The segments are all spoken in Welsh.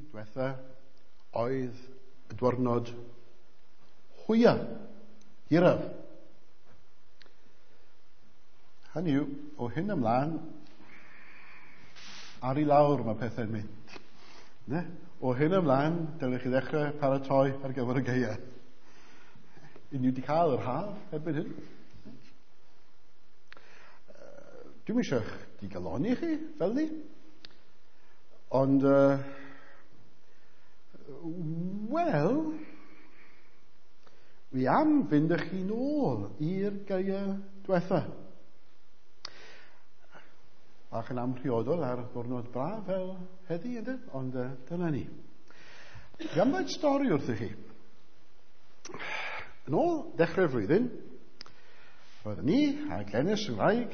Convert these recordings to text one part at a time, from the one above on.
diwetha oedd y diwrnod hwya, hiraf. Hynny yw, o hyn ymlaen, ar i lawr mae pethau'n mynd. Ne? O hyn ymlaen, dylech chi ddechrau paratoi ar gyfer y gaea. I ni wedi cael yr haf erbyn hyn. Dwi'm eisiau eich digalonni chi, fel ni. Ond, wel, fi am fynd â chi nôl i'r gaea diwetha. Bach yn amhriodol ar ddwrnod braf fel heddi, ynddo? Ond dyna ni. Fi am ddweud stori wrthych chi. Yn ôl dechrau'r flwyddyn, roeddwn ni a Glenys yn wraig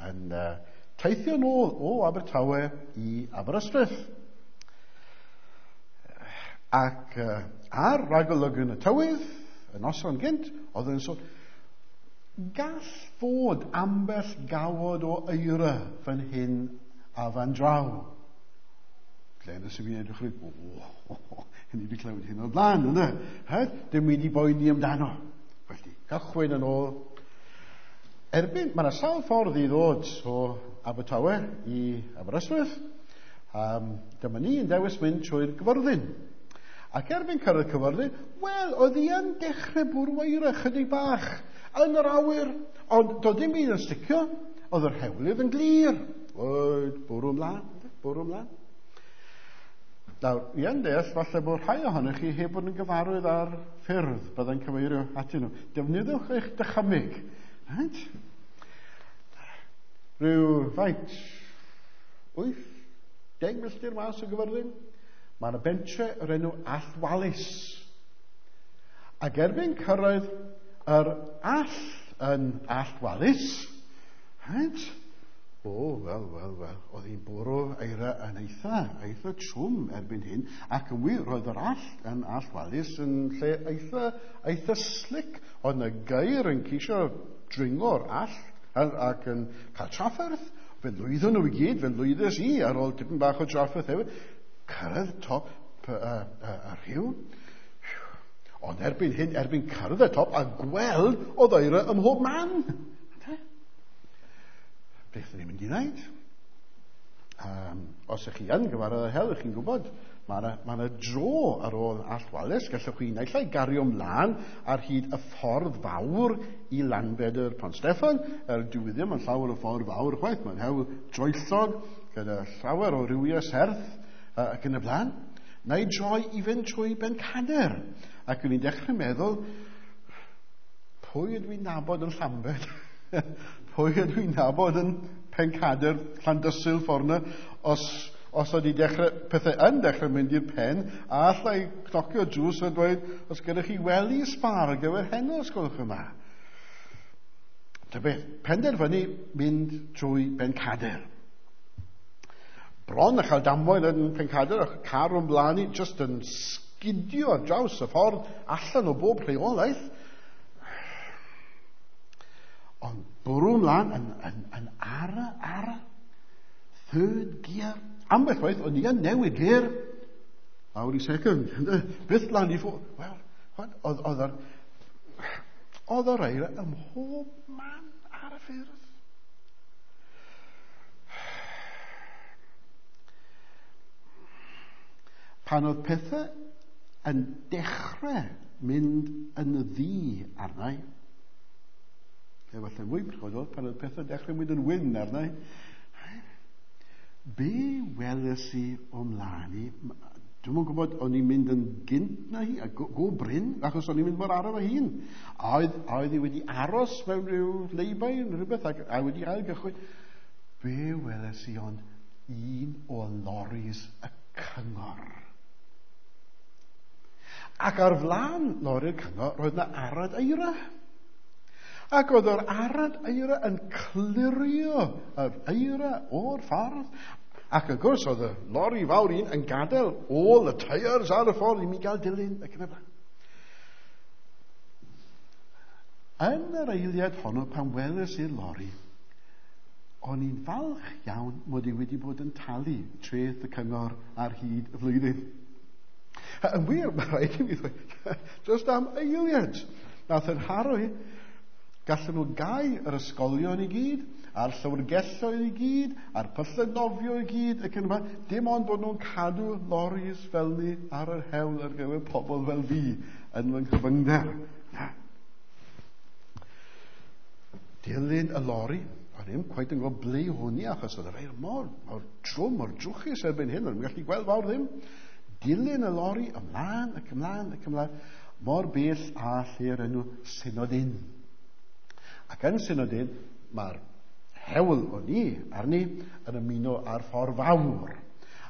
yn teithio nôl o Abertawe i Aberystwyth. Ac ar ragolygon y tywydd, y noson gynt, oedd yn sôn, gall fod ambell gawod o eira fan hyn a fan draw. Glenys i fi'n edrych rhaid, o, hyn i wedi clywed hyn o'r blaen, yna. Dim wedi boeni amdano. Felly, cychwyn yn ôl. Erbyn, mae yna sawl ffordd i ddod o Abertawe i Aberystwyth. Dyma ni yn dewis mynd trwy'r Gyfyrddin. Ac erbyn cyrraedd Cyfyrddin, wel, oedd hi yn dechrau bwrw eira chydig bach yn yr awyr, ond doedd dim byd yn sticio, oedd yr hewlydd yn glir. Oed, bwrw ymlaen, bwrw ymlaen. Nawr, i yn deall, falle bod rhai ohonych chi heb bod yn gyfarwydd ar ffyrdd byddai'n cyfeirio atyn nhw. Defnyddiwch eich dychymyg. Right? Rhyw faint, 80 milltir mas o Gyfyrddin, mae yna bentre o'r enw Alltwalis. Ac erbyn cyrraedd yr all yn Alltwalis, right? O, wel, wel, wel, oedd hi'n bwrw eira yn eitha trwm erbyn hyn, ac yn wir, roedd yr all yn Alltwalis yn lle eitha slick. Oedd yna geir yn ceisio dringo'r all ac yn cael trafferth. Fe lwyddon nhw i gyd, fe lwyddes i ar ôl tipyn bach o trafferth hefyd. Cyrraedd top y rhiw. Ond erbyn hyn, erbyn cyrraedd y top a gweld oedd eira ym mhob man. Beth ydyn ni'n mynd i wneud? Os ych chi yn gyfarwydd â hel, ych chi'n gwybod, mae yna dro ar ôl Alltwalis. Gallwch chi naill ai gario ymlaen ar hyd y ffordd fawr i Lanbedr Pont Steffan. Er dyw e ddim yn llawer o ffordd fawr chwaith, mae'n hewl droellog gyda llawer o rywiau serth ac yn y blaen. Neu droi i fynd trwy Bencader. Ac o'n i'n dechrau meddwl, pwy ydw i'n nabod yn Llambed? Pwy ydw i'n nabod yn Pencader, Llandysul ffordd yna, os oedd i dechrau, pethau yn dechrau mynd i'r pen, a allai cnocio drws a dweud, os gyda chi wely sbâr ar gyfer heno, os gwelwch yn dda. Ta beth, penderfynu mynd trwy Bencader. Bron a chael damwain yn Pencader, a car o'n blaen i, just yn sgidio ar draws y ffordd, allan o bob rheolaeth. Ond bwrw ymlaen yn ara, third gear. Ambell waith, o'n i yn newid gear, lawr i second, byth lan i ffwrdd. Wel, oedd yr eira ym mhob man ar y ffyrdd. Pan oedd pethau yn dechrau mynd yn ddu arnau, efallai mwy priodol, pan oedd pethau dechrau mynd yn wyn arnau, be weles i o mlaen i? Dwi'm yn gwybod, o'n i'n mynd yn gynt na hi, a go brin, achos o'n i'n mynd mor araf â hun. A oedd hi wedi aros mewn rhyw leibau neu rhywbeth, a wedi ail gychwyn. Be weles i ond un o loris y cyngor. Ac ar flaen lori'r cyngor, roedd yna arad eira. Ac oedd yr arad eira yn clirio yr eira o'r ffordd. Ac wrth gwrs, oedd y lori fawr un yn gadael ôl y tyres ar y ffordd i mi gael dilyn ac yn y blaen. Yn yr eiliad honno, pan weles i'r lori, o'n i'n falch iawn mod i wedi bod yn talu treth y cyngor ar hyd y flwyddyn. Yn wir, mae rhaid i mi ddweud, just am eiliad, nath yn haro i, gallen nhw gau yr ysgolion i gyd, a'r llyfrgelloedd i gyd, a'r pyllau nofio i gyd, ac yn yma, dim ond bod nhw'n cadw loris fel ni ar yr hewl ar gyfer pobl fel fi yn fy nghyfyngder. Na. Dilyn y lori, o'n i'n cweit yn gwybod ble hwn i, achos oedd yr eir mor, mor trwm, mor drwchus erbyn hyn, o'n i'n gallu gweld fawr ddim. Dilyn y lori ymlaen ac ymlaen ac ymlaen, mor bell a lle'r enw Synod Inn. Ac yn Synod Inn, mae'r hewl o'n i arni yn ymuno â'r ffordd fawr.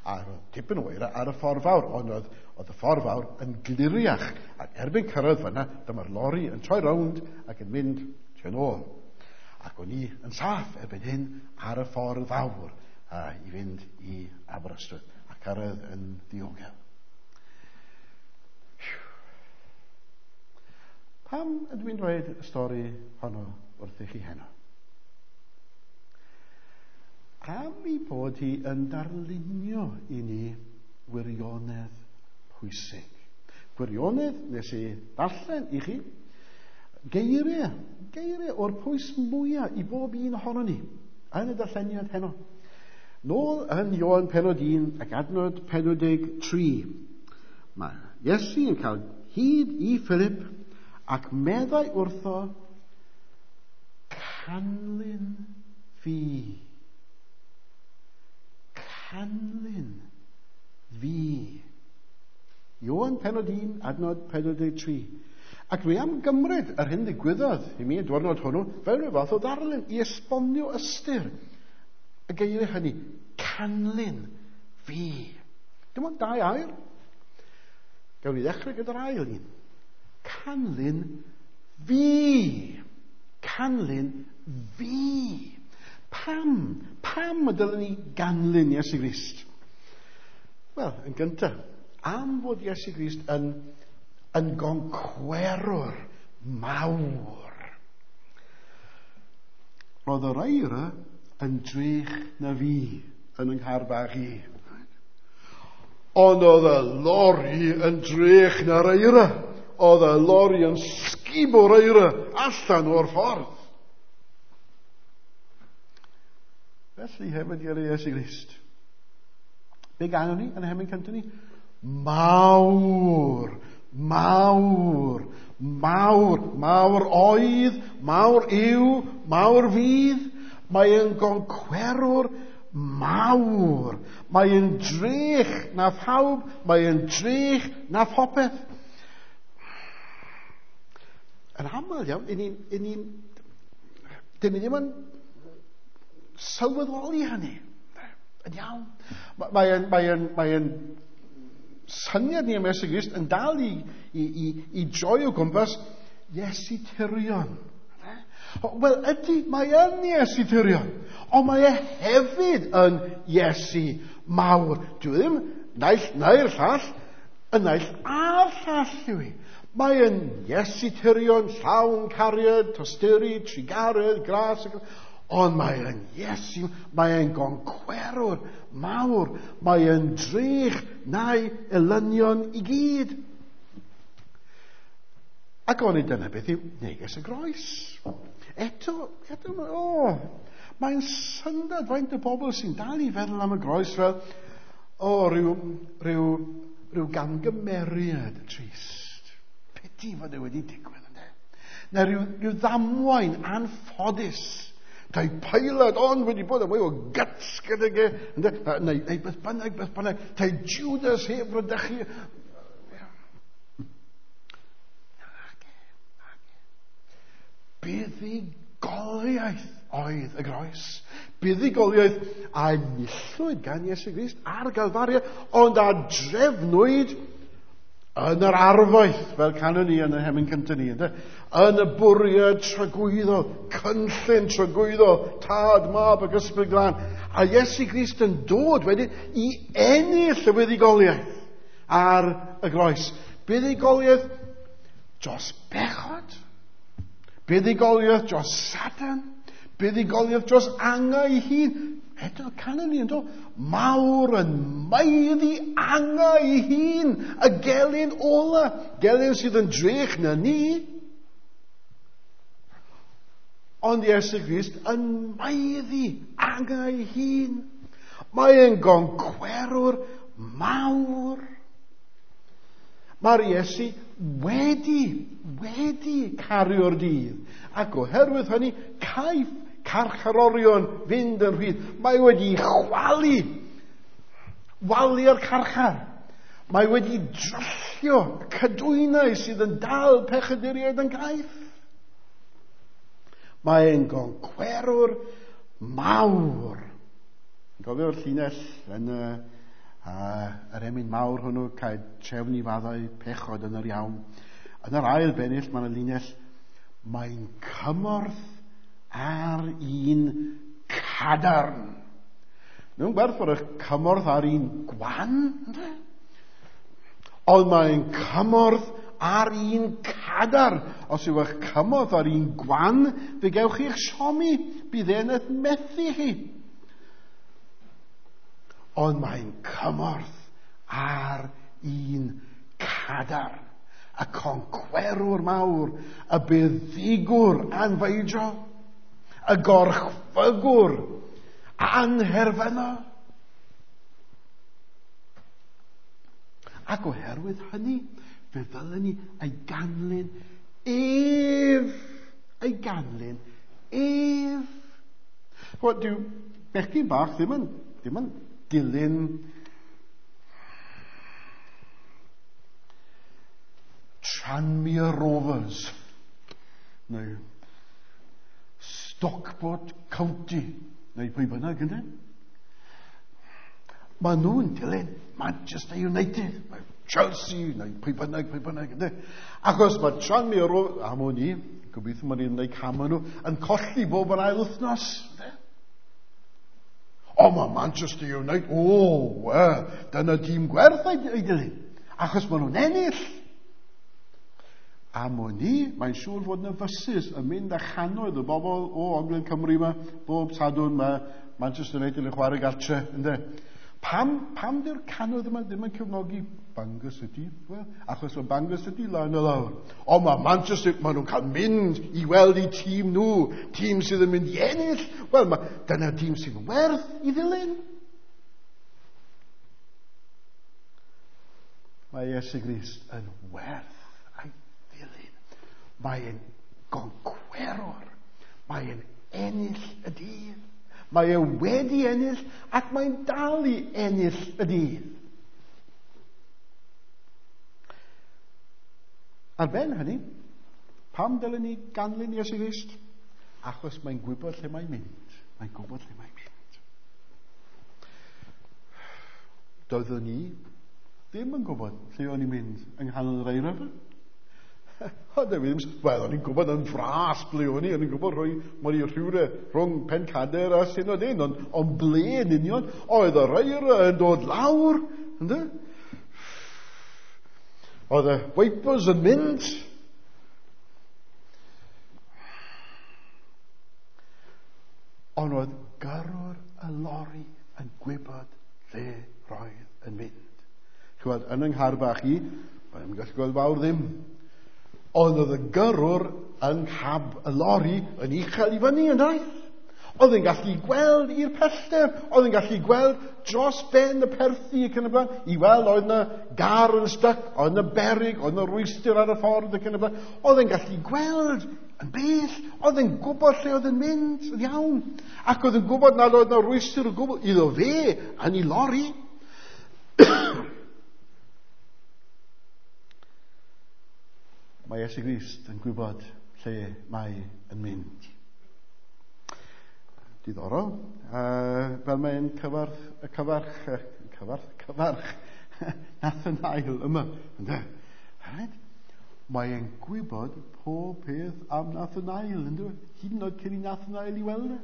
A roedd tipyn o eira ar y ffordd fawr, ond oedd, oedd y ffordd fawr yn gliriach. Ac erbyn cyrraedd fyna, dyma'r lori yn troi rownd ac yn mynd tua'n ôl. Ac o'n i yn saff erbyn hyn ar y ffordd fawr a i fynd i Aberystwyth a cyrraedd yn ddiogel. Pam ydw i'n dweud y stori honno wrthych chi heno? Am ei bod hi yn darlunio i ni wirionedd pwysig. Gwirionedd nes i ddarllen i chi, geiriau, geiriau o'r pwys mwyaf i bob un ohono ni yn y darlleniad heno. Nôl yn Ioan penod 1 ac adnod 43, mae Iesu yn cael hyd i Philip ac meddai wrtho, canlyn fi. Canlyn fi. Ioan penod 1, adnod 43. Ac dwi am gymryd yr hyn ddigwyddodd i mi y diwrnod hwnnw fel rhyw fath o ddarlun i esbonio ystyr y geiriau hynny. Canlyn fi. Dim ond dau air. Gawn ni ddechrau gyda'r ail un. Canlyn fi. Canlyn fi. Pam? Pam y dylen ni ganlyn Iesu Grist? Wel, yn gyntaf, am fod Iesu Grist yn, yn goncwerwr mawr. Roedd yr eira yn drech na fi yn yng nghar bach i. Ond oedd y lori yn drech na'r eira. Oedd y lori yn sgubo'r eira allan o'r ffordd. Felly hefyd gyda Iesu Grist. Be ganon ni yn y hemyn cyntaf ni? Mawr, mawr, mawr, mawr oedd, mawr yw, mawr fydd. Mae yn goncwerwr mawr. Mae yn drech na phawb, mae yn drech na phopeth. Yn aml iawn, i ni'n, i ni'n, dyn ni ddim yn sylweddoli hynny. Yn iawn. Mae'n mae mae mae syniad ni am Iesu Grist yn dal i, i, i, i droi o gwmpas Iesu Tirion. Wel, ydy, mae yn Iesu Tirion, ond mae e hefyd yn Iesu mawr. Dwi ddim naill neu'r llall, y naill a'r llall yw i. Mae yn Iesu Tirion, llawn cariad, tosturi, trugaredd, gras, ond mae yn Iesu, mae yn goncwerwr mawr, mae yn drych na'i elynion i gyd. Ac o'n i dyna beth yw neges y groes. Eto, eto, o, mae'n syndod faint o bobl sy'n dal i feddwl am y groes fel, o, rhyw, rhyw, rhyw gamgymeriad trist. Piti fod e wedi digwydd, ynddo. Neu rhyw, rhyw ddamwain anffodus. Tai Pilate ond wedi bod yn mwy o guts gydag e, ynddo? Neu, neu beth bynnag, beth bynnag. Tai Judas heb rydychu. Buddugoliaeth oedd y groes. Buddugoliaeth a enillwyd gan Iesu Grist ar Galfaria, ond a drefnwyd yn yr arfaeth, fel canon ni yn y hemyn cyntaf ni, ynde? Yn y bwriad tragwyddol, cynllun tragwyddol, tad, mab ac ysbryd glân. A Iesu Grist yn dod wedyn i ennill y buddugoliaeth ar y groes. Buddugoliaeth dros bechod, buddugoliaeth dros Satan, buddugoliaeth dros angau ei hun. Eto, canon ni yn do, mawr yn maeddu angau ei hun, y gelyn ola, gelyn sydd yn drech na ni. Ond Iesu Grist yn maeddu angau ei hun. Mae e'n goncwerwr mawr. Mae'r Iesu wedi cario'r dydd. Ac oherwydd hynny, caiff carcharorion fynd yn rhydd. Mae wedi chwalu, walu'r carchar. Mae wedi dryllio y cadwynau sydd yn dal pechaduriaid yn gaeth. Mae e'n goncwerwr mawr. Gofio'r llinell yn yr emyn mawr hwnnw, cael trefn i faddau pechod yn yr iawn. Yn yr ail bennill, mae'n y linell, mae'n cymorth ar un cadarn. Mewn gwerth bod eich cymorth ar un gwan, ynddo? Ond mae'n cymorth ar un cadarn. Os yw eich cymorth ar un gwan, fe gewch chi'ch siomi, bydd e'n eich methu chi. Ond mae'n cymorth ar un cadarn. Y concwerwr mawr, y buddugwr anfeidrol, y gorchfygwr anherfynol. Ac oherwydd hynny, fe ddylen ni ei ganlyn ef. Ei ganlyn ef. Wel, dyw bechgyn bach ddim yn dilyn Tranmere Rovers neu Stockport County neu pwy bynnag, ynddo? Maen nhw'n dilyn Manchester United, Chelsea, neu pwy bynnag, ynddo? Achos mae Tranmere Rovers, am o'n i, gobeithio maen nhw'n gwneud cam nhw, yn colli bob yn ail wythnos, ynddo? O, mae Manchester United, o, dyna dîm gwerth ei dilyn, achos maen nhw'n ennill. Am o'n i, mae'n siŵr fod yna fysus yn mynd â channoedd o bobl o Ogledd Cymru yma, bob Sadwrn mae Manchester United yn chwarae gartre, ynddo? Pam dyw'r cannoedd yma ddim yn cefnogi Bangor City? Wel, achos mae Bangor City lan o lawr. O, mae Manchester, maen nhw'n cael mynd i weld eu tîm nhw, tîm sydd yn mynd i ennill. Wel, dyna'r tîm sydd werth i ddilyn. Mae Iesu Grist yn werth ei ddilyn. Mae'n goncwerwr. Mae'n ennill y dydd. Mae e wedi ennill ac mae'n dal i ennill y dydd. Ar ben hynny, pam dylen ni ganlyn Iesu Grist? Achos mae'n gwybod lle mae'n mynd. Mae'n gwybod lle mae'n mynd. Doeddwn ni ddim yn gwybod lle o'n i'n mynd yng nghanol yr eira. O, wel, o'n i'n gwybod yn fras ble o'n i, o'n i'n gwybod rhoi i rhywle rhwng Pencader a Synod Inn, ond ble yn union, oedd yr eira yn dod lawr, ynddo? Oedd y wipers yn mynd. Ond oedd gyrrwr y lori yn gwybod lle roedd yn mynd. Ch'wod, yn yng nghar bach i, mae'n gallu gweld fawr ddim. Ond oedd y gyrrwr yng nghab y lori yn uchel i fyny yn daith. Oedd yn gallu gweld i'r pellter, oedd yn gallu gweld dros ben y perthi ac yn y blaen, i weld oedd yna gar yn styc, oedd yna berig, oedd yna rwystr ar y ffordd ac yn y blaen. Oedd yn gallu gweld yn bell, oedd yn gwybod lle oedd yn mynd yn iawn, ac oedd yn gwybod nad oedd yna rwystr o gwbl iddo fe yn ei lori. Mae Iesu Grist yn gwybod lle mae yn mynd. Diddorol, fel mae'n cyfarch Nathanael yma. Ynde? Right? Mae'n gwybod pob peth am Nathanael, ynddo? Hyd yn oed cyn i Nathanael i weld e.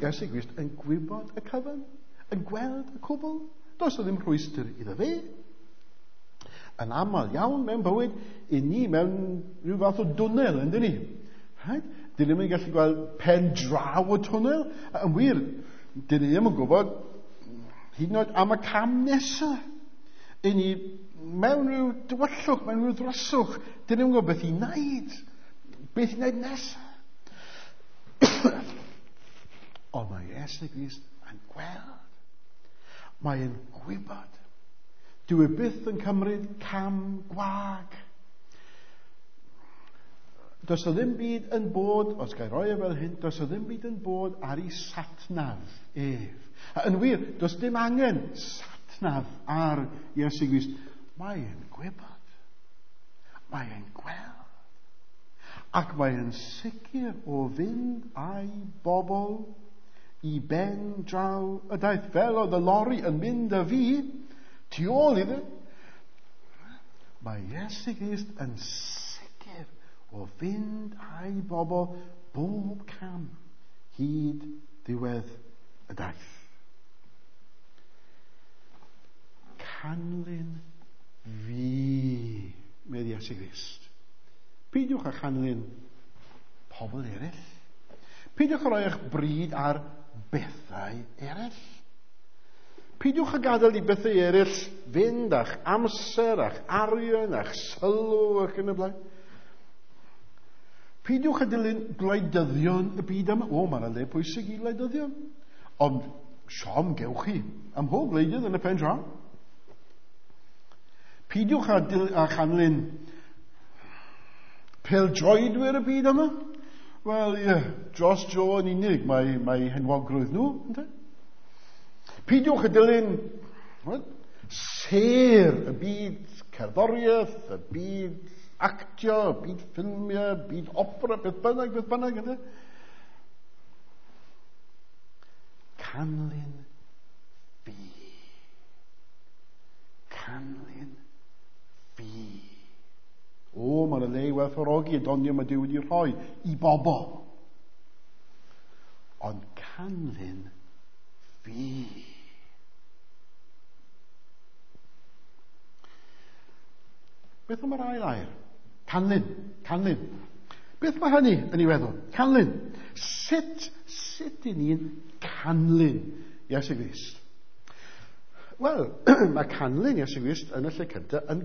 Iesu Grist yn gwybod y cyfan, yn gweld y cwbl. Does o ddim rhwystr iddo fe. Yn aml iawn mewn bywyd, i ni mewn rhyw fath o dwnnel, ynddo ni? Right? Dyn ni ddim yn gallu gweld pen draw y twnnel. Yn wir, dyn ni ddim yn gwybod hyd yn oed am y cam nesaf. I ni mewn rhyw dywyllwch, mewn rhyw ddryswch, dyn ni ddim yn gwybod beth i wneud. Beth i wneud nesaf. Ond mae Iesu Grist yn gweld. Mae'n gwybod. Dyw e byth yn cymryd cam gwag. Does o ddim byd yn bod, os gael roi e fel hyn, does o ddim byd yn bod ar ei satnaf ef. A yn wir, does dim angen satnaf ar Iesu Grist. Mae'n gwybod. Mae'n gweld. Ac mae'n sicr o fynd â'i bobl i ben draw y daith. Fel oedd y lori yn mynd â fi, tu ôl iddo. Mae Iesu Grist yn sicr o fynd â'i bobl bob cam hyd ddiwedd y daith. Canlyn fi, medd Iesu Grist. Peidiwch â chanlyn pobl eraill. Peidiwch â rhoi eich bryd ar bethau eraill. Peidiwch â gadael i bethau eraill fynd a'ch amser, a'ch arian, a'ch sylw ac yn y blaen. Peidiwch â dilyn gwleidyddion y byd yma. O, mae'n le pwysig i wleidyddion. Ond siom gewch chi am mhob gwleidydd yn y pen draw. Peidiwch â chanlyn pêl-droedwyr y byd yma. Wel, ie, yeah, dros dro yn unig mae henwogrwydd nhw, ynddo? Peidiwch â dilyn sêr y byd cerddoriaeth, y byd actio, y byd ffilmiau, y byd opera, beth bynnag, ynddo? Canlyn fi. Canlyn fi. O, mae'n le i werthfawrogi y doniau mae Duw wedi rhoi i bobl. Ond canlyn fi. Beth am yr ail air? Canlyn, canlyn. Beth mae hynny yn ei feddwl? Canlyn. Sut i ni'n canlyn Iesu Grist? Wel, mae canlyn Iesu Grist yn y lle cyntaf yn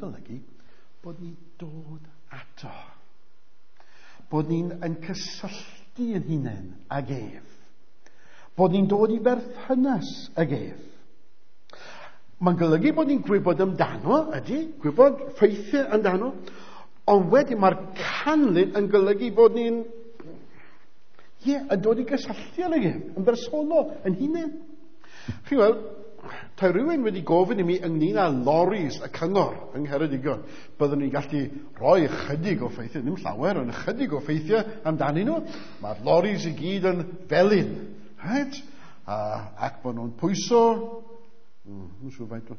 golygu bod ni'n dod ato. Bod ni'n yn cysylltu yn hunain ag ef. Bod ni'n dod i berthynas ag ef. Mae'n golygu bod ni'n gwybod amdano, ydy, gwybod ffeithiau amdano, ond wedyn mae'r canlyn yn golygu bod ni'n yn dod i gysylltu ag ef, yn bersonol, yn hunain. Chi'n gweld, tai rhywun wedi gofyn i mi ynglyn â loris y cyngor yng Ngheredigion. Byddwn ni'n gallu rhoi ychydig o ffeithiau, ddim llawer, ond ychydig o ffeithiau amdanyn nhw. Mae'r loris i gyd yn felyn, right? Ac bod nhw'n pwyso, siŵr faint,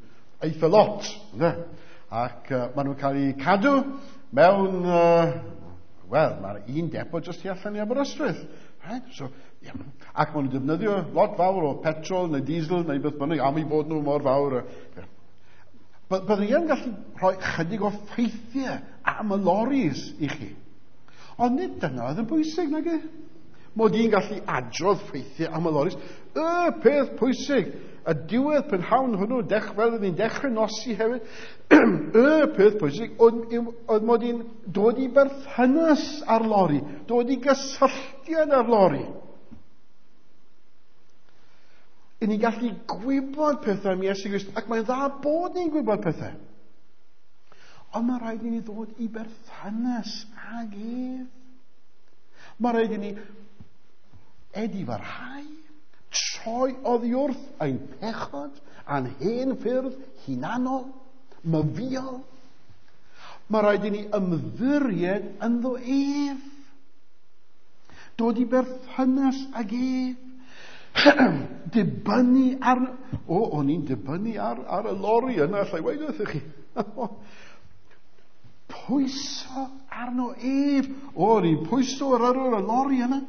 eitha lot, ynddo? Ac maen nhw'n cael eu cadw mewn, wel, mae'r un depo jyst tu allan i Aberystwyth. Right? So, yeah. Ac maen nhw'n defnyddio lot fawr o petrol neu diesel neu beth bynnag am eu bod nhw mor fawr. Byddwn ni yn gallu rhoi chydig o ffeithiau am y loris i chi. Ond nid dyna oedd yn bwysig, nag e? Mod i'n gallu adrodd ffeithiau am y loris. Y peth pwysig, y diwedd prynhawn hwnnw, fel oedd ni'n dechrau nosi hefyd, y peth pwysig oedd mod i'n dod i berthynas â'r lori, dod i gysylltiad â'r lori. I ni'n gallu gwybod pethau am Iesu Grist, ac mae'n dda bod ni'n gwybod pethau. Ond mae rhaid i ni ddod i berthynas ag ef. Mae rhaid i ni edifarhau, troi oddi wrth ein pechod a'n hen ffyrdd hunanol, myfiol. Mae rhaid i ni ymddiried ynddo ef. Dod i berthynas ag ef. Dibynnu ar... O, o'n i'n dibynnu ar y lori yna, allai weud wrthych chi. Pwyso arno ef. O, o'n i'n pwyso ar y lori yna.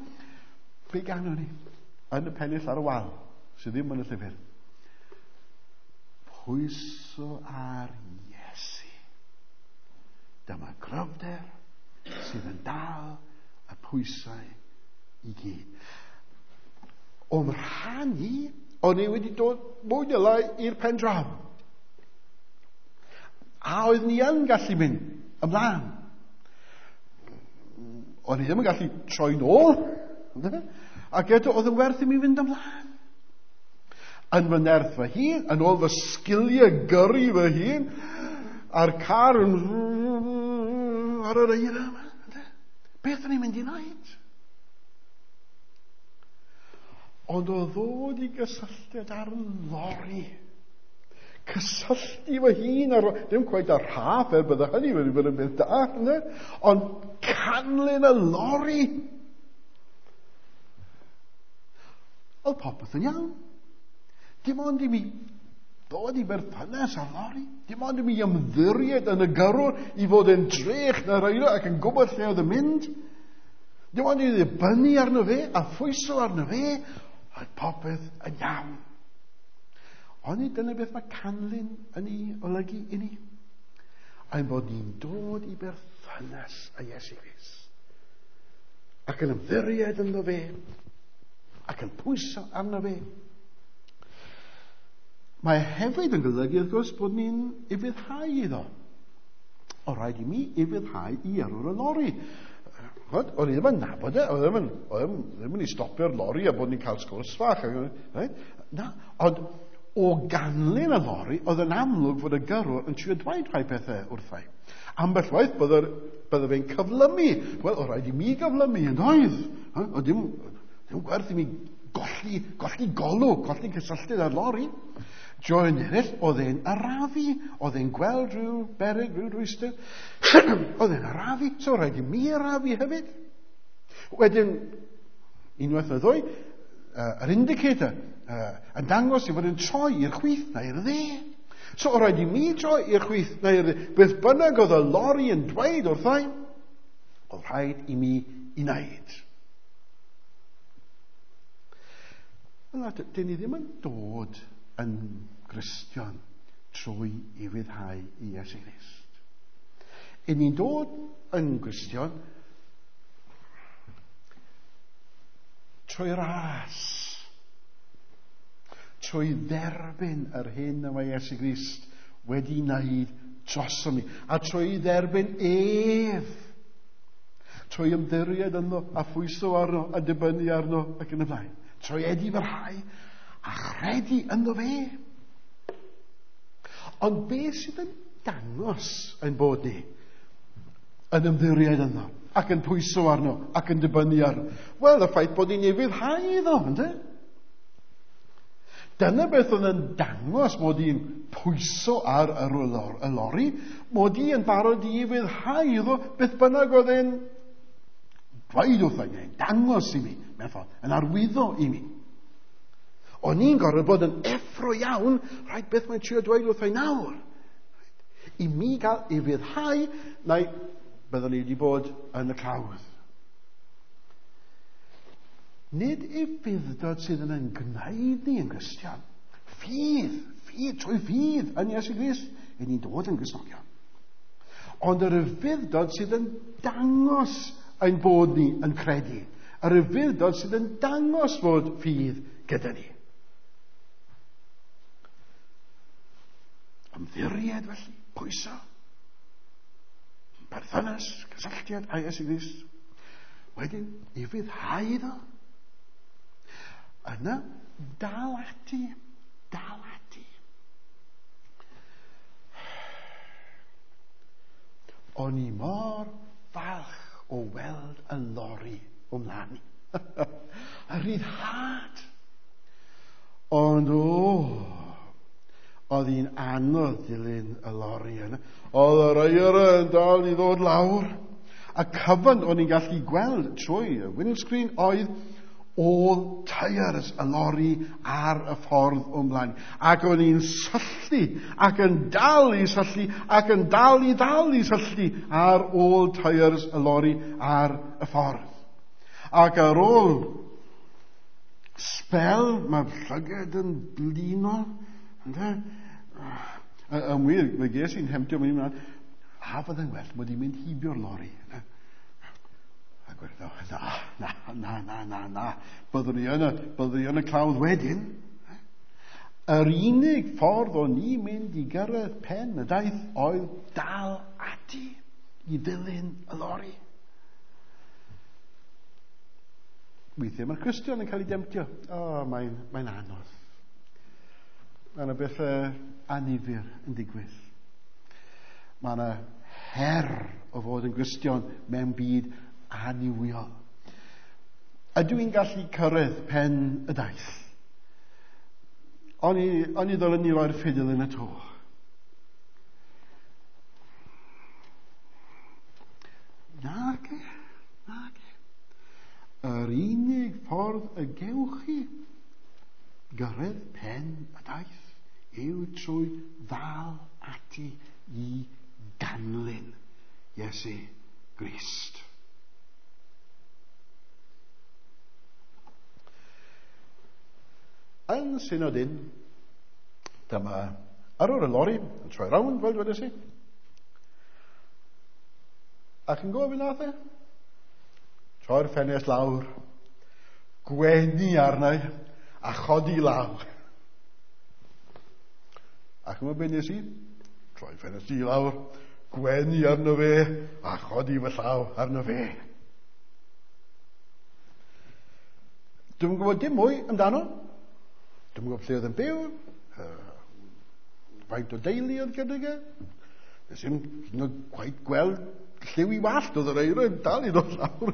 Be ganon ni? Yn y pennill ar y wal, sydd ddim yn y llyfr. Pwyso ar Iesu. Dyma gryfder, sydd yn dal y pwysau i gyd. O'm rhan i, o'n i wedi dod mwy neu lai i'r pen draw. A oedd ni yn gallu mynd ymlaen. O'n i ddim yn gallu troi nôl. Ac eto, oedd yn werth i mi fynd ymlaen. Yn fy nerth fy hun, yn ôl fy sgiliau gyrru fy hun, a'r car yn ar yr eira yma. Beth o'n i'n mynd i wneud? Ond o ddod i gysylltiad ar lori, cysylltu fy hun ar, ddim cweit ar rhaff, er bydde hynny wedi bod yn beth da, ynddo? Ond canlyn y lori. Oedd popeth yn iawn. Dim ond i mi ddod i berthynas â'r lori. Dim ond i mi ymddiried yn y gyrrwr i fod yn drech na'r eira ac yn gwybod lle oedd yn mynd. Dim ond i ddibynnu arno fe a phwyso arno fe, oedd popeth yn iawn. Ond nid dyna beth mae canlyn yn ei olygu i ni. Ein bod ni'n dod i berthynas â Iesu Grist. Ac yn ymddiried ynddo fe. Ac yn pwyso arno fe. Mae hefyd yn golygu, wrth gwrs, bod ni'n ufuddhau iddo. O rhaid i mi ufuddhau i yrrwr y lori. Ch'mod, o'n i ddim yn nabod e, oedd ddim yn, oedd ddim yn i stopio'r lori a bod ni'n cael sgwrs fach. Right? Na, ond o ganlyn y lori, oedd yn amlwg fod y gyrrwr yn trio dweud rhai pethau wrthai. Ambell waith bydde, bydde fe'n cyflymu. Wel, o rhaid i mi gyflymu, yn doedd. O dim, dim gwerth i mi golli, golli golwg, golli cysylltiad â'r lori. Joen eraill, oedd e'n arafu, oedd e'n gweld rhyw beryg, rhyw rwystr. Oedd e'n arafu, so rhaid i mi arafu hefyd. Wedyn, unwaith neu ddwy, yr indicator yn dangos i fod yn troi i'r chwith neu i'r dde. So o rhaid i mi droi i'r chwith neu i'r dde. Beth bynnag oedd y lori yn dweud wrthai, oedd rhaid i mi i wneud. Wel, dyn ni ddim yn dod yn Gristion trwy ufuddhau i Iesu Grist. I ni'n dod yn Gristion trwy ras, trwy dderbyn yr hyn y mae Iesu Grist wedi wneud drosom ni, a trwy dderbyn ef, trwy ymddiried ynddo a phwyso arno a dibynnu arno ac yn y blaen, trwy edifarhau a chredu ynddo fe. Ond beth sydd yn dangos ein bod ni yn ymddiried ynddo ac yn pwyso arno ac yn dibynnu arno? Wel, y ffaith bod ni'n ufuddhau iddo, ynddo? Dyna beth oedd yn dangos mod i'n pwyso ar y lori, mod i yn barod i ufuddhau iddo beth bynnag oedd e'n dweud wrtho i, neu'n dangos i mi, mewn ffordd, yn arwyddo i mi. O'n i'n gorfod bod yn effro iawn, rhaid beth mae'n trio dweud wrtho i nawr. I mi gael ufuddhau, neu byddwn ni wedi bod yn y clawdd. Nid ufudd-dod sydd yn ein gwneud ni yn Gristion. Ffydd, ffydd, trwy ffydd yn Iesu Grist, i ni'n dod yn Gristnogion. Ond yr ufudd-dod sydd yn dangos ein bod ni yn credu. Yr ufudd-dod sydd yn dangos fod ffydd gyda ni. Ymddiried felly, pwyso, perthynas, cysylltiad â Iesu Grist. Wedyn, ufuddhau iddo. Yna, dal ati, dal ati. O'n i mor falch o weld y lori o mlaen i. Y rhyddhad. Ond o, oedd hi'n anodd dilyn y lori yna. Oedd yr eira yn dal i ddod lawr. A cyfan o'n i'n gallu gweld trwy y windscreen oedd all tyres y lori ar y ffordd o'n blaen. Ac o'n i'n syllu, ac yn dal i syllu, ac yn dal i ddal i syllu ar ôl tyres y lori ar y ffordd. Ac ar ôl spel, mae llyged yn blino. Ynde? Yn wir, fe ges i'n hemtio mynd ymlaen. A fydde'n well mod i'n mynd heibio'r lori. Ac wedi, na, na, na, na, na, na. Byddwn ni yn y clawdd wedyn. Yr unig ffordd o'n i'n mynd i gyrraedd pen y daith oedd dal ati i ddilyn y lori. Weithiau mae'r Cristion yn cael ei demtio. O, mae'n anodd. Mae yna bethau annifyr yn digwydd. Mae yna her o fod yn Gristion mewn byd annuwiol. Ydw i'n gallu cyrraedd pen y daith? O'n i ddylen ni roi'r ffidil yn y to. Nage. Yr unig ffordd y gewch chi gyrraedd pen y daith yw trwy ddal ati i ganlyn Iesu Grist. Yn synod un, dyma yrrwr y lori yn troi rownd, fel dwedes i. Ac yn gofyn nath e? Troi'r ffenest lawr, gwenu arna i, a chodi law. Ac yma be nes i? Troi ffenest i lawr, gwenu arno fe, a chodi fy llaw arno fe. Dwi'm yn gwybod dim mwy amdano. Dwi'm yn gwybod lle oedd yn byw, faint o deulu oedd gydag e. Nes i'm quite gweld lliw i wallt, oedd yr eira yn dal i ddod lawr.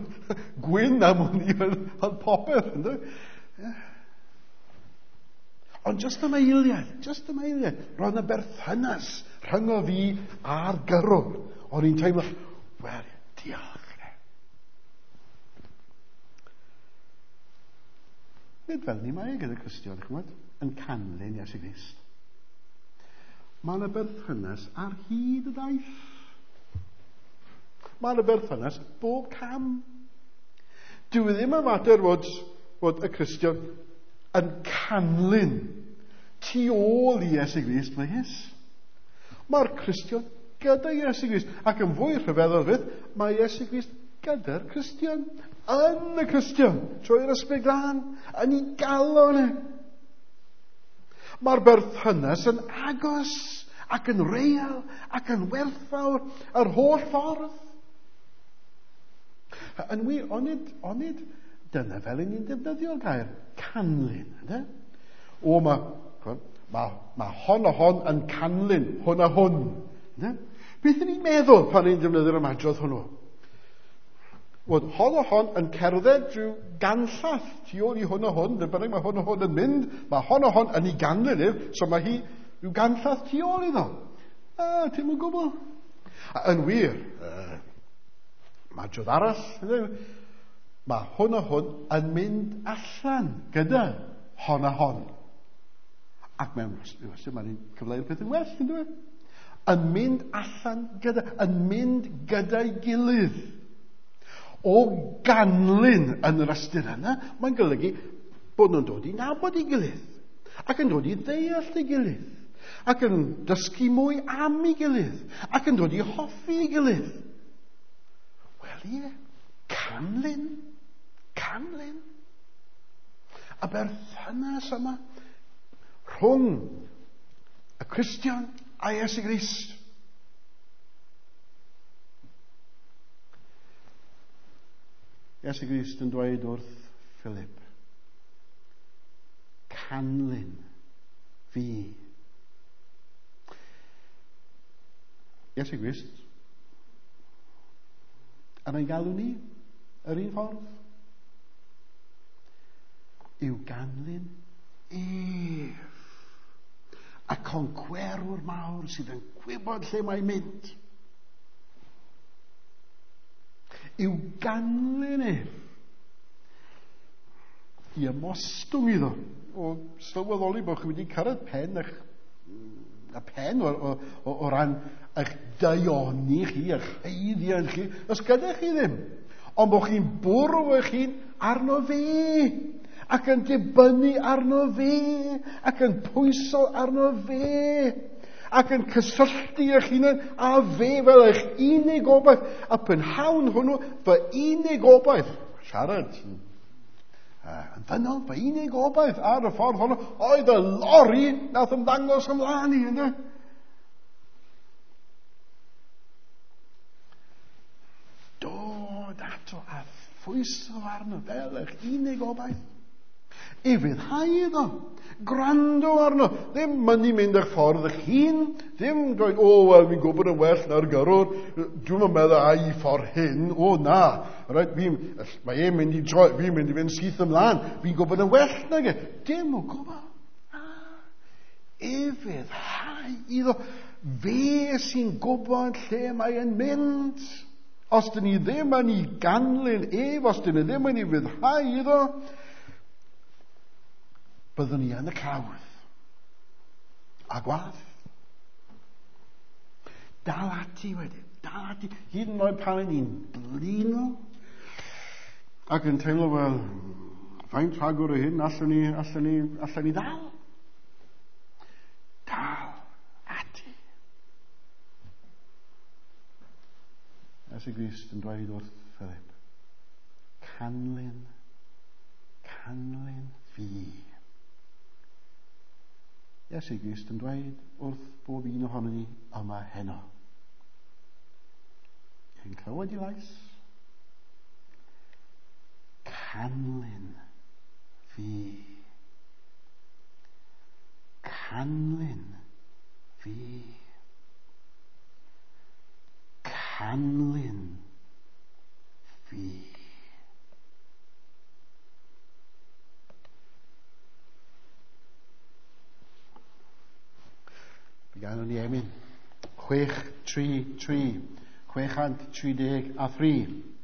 Gwyn am hwn i oedd popeth. Ynddo? Yeah. Ond just am eiliad, roedd yna berthynas rhyngo fi a'r gyrrwr. O'n i'n teimlo, wel, diolch. Nid fel ni mae gyda Cristion, ch'mod, yn canlyn Iesu Grist. Mae yna berthynas ar hyd y daith. Mae yna berthynas bob cam. Dyw e ddim yn mater fod y Cristion yn canlyn tu ôl i Iesu Grist, megis. Mae'r Cristion gyda Iesu Grist. Ac yn fwy rhyfeddol fyth, mae Iesu Grist gyda'r Cristion. Yn y Cristion, trwy'r Ysbryd Glân, yn ei galon e. Mae'r berthynas yn agos ac yn real ac yn werthfawr yr holl ffordd. Yn wir, onid dyna fel y'n ni'n defnyddio'r gair canlyn, ynddo? O, mae hon a hon yn canlyn, hwn a hwn. Ynddo? Beth y'n ni'n meddwl pan ni'n defnyddio'r ymadrodd hwnnw? Fod hon a hon yn cerdded drwy ganllath tu ôl i hwn a hwn, lle bynnag mae hwn a hwn yn mynd, mae hon a hon yn ei ganlyn ef, so mae hi rhyw ganllath tu ôl iddo. A, ti'm yn gwybod. A yn wir, madrodd arall, mae hwn a hwn yn mynd allan gyda hon a hon. Ac mewn ystyr, mae'n cyfleu'r peth yn well, yn dweud. Yn mynd allan gyda, yn mynd gyda'i gilydd. O ganlyn yn yr ystyr yna, mae'n golygu bod nhw'n dod i nabod ei gilydd, ac yn dod i ddeall ei gilydd, ac yn dysgu mwy am ei gilydd, ac yn dod i hoffi ei gilydd. Wel ie, canlyn. Y berthynas yma rhwng y Cristion a Iesu Grist. Iesu Grist yn dweud wrth Philip, canlyn fi. Iesu Grist, yn ein galw ni yr un ffordd, yw ganlyn ef, y concwerwr mawr sydd yn gwybod lle mae'n mynd. Yw ganlyn ef i ymostwng iddo, o sylweddoli bod chi wedi cyrraedd pen eich, y pen o ran eich daioni chi, eich haeddiant chi, os gyda chi ddim, ond bod chi'n bwrw eich hun arno fe, ac yn dibynnu arno fe, ac yn pwyso arno fe, ac yn cysylltu eich hunain a fe fel eich unig obaith. A prynhawn hwnnw, fy unig obaith, siarad yn ddynol, fy unig obaith ar y ffordd honno, oedd y lori nath ymddangos ymlaen i, ynddo? Dod ato a phwyso arno fel eich unig obaith. Ufuddhau iddo, gwrando arno, ddim mynnu mynd eich ffordd eich hun, ddim dweud, o, wel, fi'n gwybod yn well na'r gyrrwr, dwi'm yn meddwl ai ffordd hyn, o na, right, mae e'n mynd i droi, fi'n mynd i fynd syth ymlaen, fi'n gwybod yn well nag e, dim o gwbl. Ufuddhau iddo, fe sy'n gwybod lle mae e'n mynd. Os dyn ni ddim yn ei ganlyn ef, os dyn ni ddim yn ei ufuddhau iddo, byddwn ni yn y clawdd. A gwath. Dal ati wedyn. Dal ati. Hyd yn oed pan ni'n blino ac yn teimlo fel, faint rhagor o hyn allwn ni ddal? Dal ati. Iesu Grist yn dweud wrth Philip, canlyn fi. Iesu Grist yn dweud wrth bob un ohonon ni yma heno. Chi'n clywed i lais? Canlyn fi. Canlyn fi. Canlyn fi. Fe ganwn ni emyn. 633. 633.